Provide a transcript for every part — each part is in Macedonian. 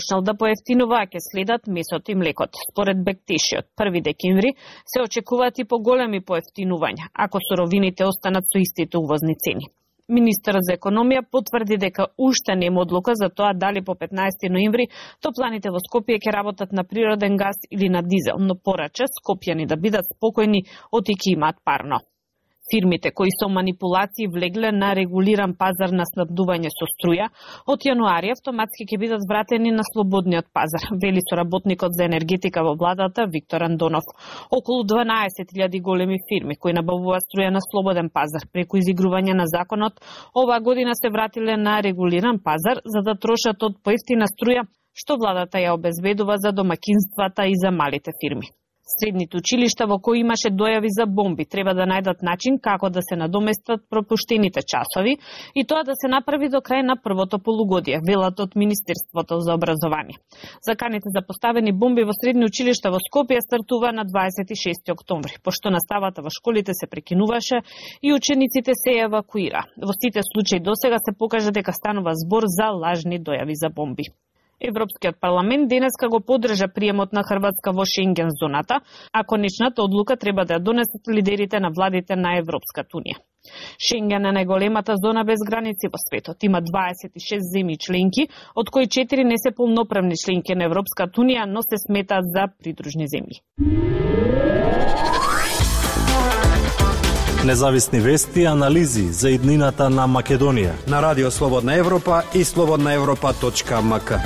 почнал да поевтинува, а ќе следат месото и млекот. Според Бектеши, од 1 декември се очекуваат и поголеми поевтинувања, ако суровините останат со истите увозни цени. Министерот за економија потврди дека уште нема одлука за тоа дали по 15 ноември топланите во Скопје ќе работат на природен газ или на дизел, но порача скопјани да бидат спокојни оти имаат парно. Фирмите кои со манипулации влегле на регулиран пазар на снабдување со струја, од јануари автоматски ќе бидат вратени на слободниот пазар, вели соработникот за енергетика во владата Виктор Андонов. Околу 12.000 големи фирми кои набавуваат струја на слободен пазар преку изигрување на законот, оваа година се вратиле на регулиран пазар за да трошат од поевтина струја, што владата ја обезбедува за домакинствата и за малите фирми. Средните училишта во кои имаше дојави за бомби треба да најдат начин како да се надоместат пропуштените часови и тоа да се направи до крај на првото полугодие, велат од Министерството за образование. Заканите за поставени бомби во средни училишта во Скопје стартува на 26 октомври, пошто наставата во школите се прекинуваше и учениците се евакуира. Во сите случаи досега се покажа дека станува збор за лажни дојави за бомби. Европскиот парламент денеска го поддржа приемот на Хрватска во Шенген зоната, а конечната одлука треба да ја донесат лидерите на владите на Европската унија. Шенген е најголемата зона без граници во светот. Има 26 земји членки, од кои 4 не се полноправни членки на Европската унија, но се сметаат за придружни земји. Независни вести и анализи за иднината на Македонија на Радио Слободна Европа и slobodnaevropa.mk.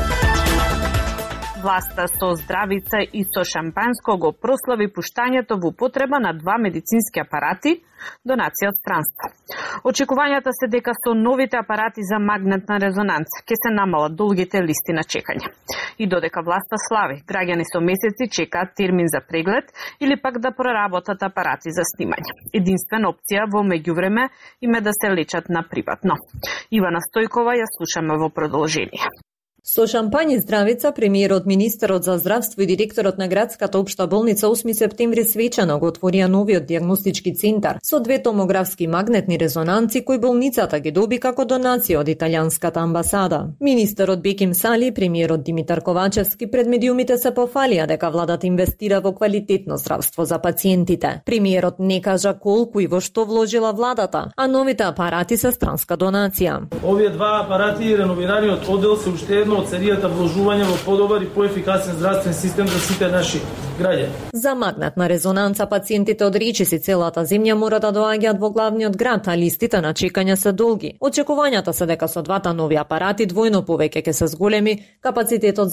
Власта со здравица и со шампанско го прослави пуштањето во употреба на 2 медицински апарати, донација од странство. Очекувањата се дека со новите апарати за магнетна резонанца ќе се намалат долгите листи на чекање. И додека власта слави, граѓани со месеци чекаат термин за преглед или пак да проработат апарати за снимање. Единствена опција во меѓувреме им е да се лечат на приватно. Ивана Стојкова ја слушаме во продолжение. Со шампање здравица, премиерот, министерот за здравство и директорот на градската општа болница 8 септември свечано го отворија новиот дијагностички центар со 2 томографски магнетни резонанци кои болницата ги доби како донација од италијанската амбасада. Министерот Беким Сали и премиерот Димитар Ковачевски пред медиумите се пофалија дека владата инвестира во квалитетно здравство за пациентите. Премиерот не кажа колку и во што вложила владата, а новите апарати се странска донација. Овие 2 апарати и реновираниот одел се уште едно од серијата вложување во подобар и поефикасен здравствен систем за сите наши граѓани. За магнетна резонанца пациентите од речиси целата земја мора да доаѓаат во главниот град, а листите на чекање се долги. Очекувањата се дека со 2 нови апарати двојно повеќе ќе се зголеми капацитетот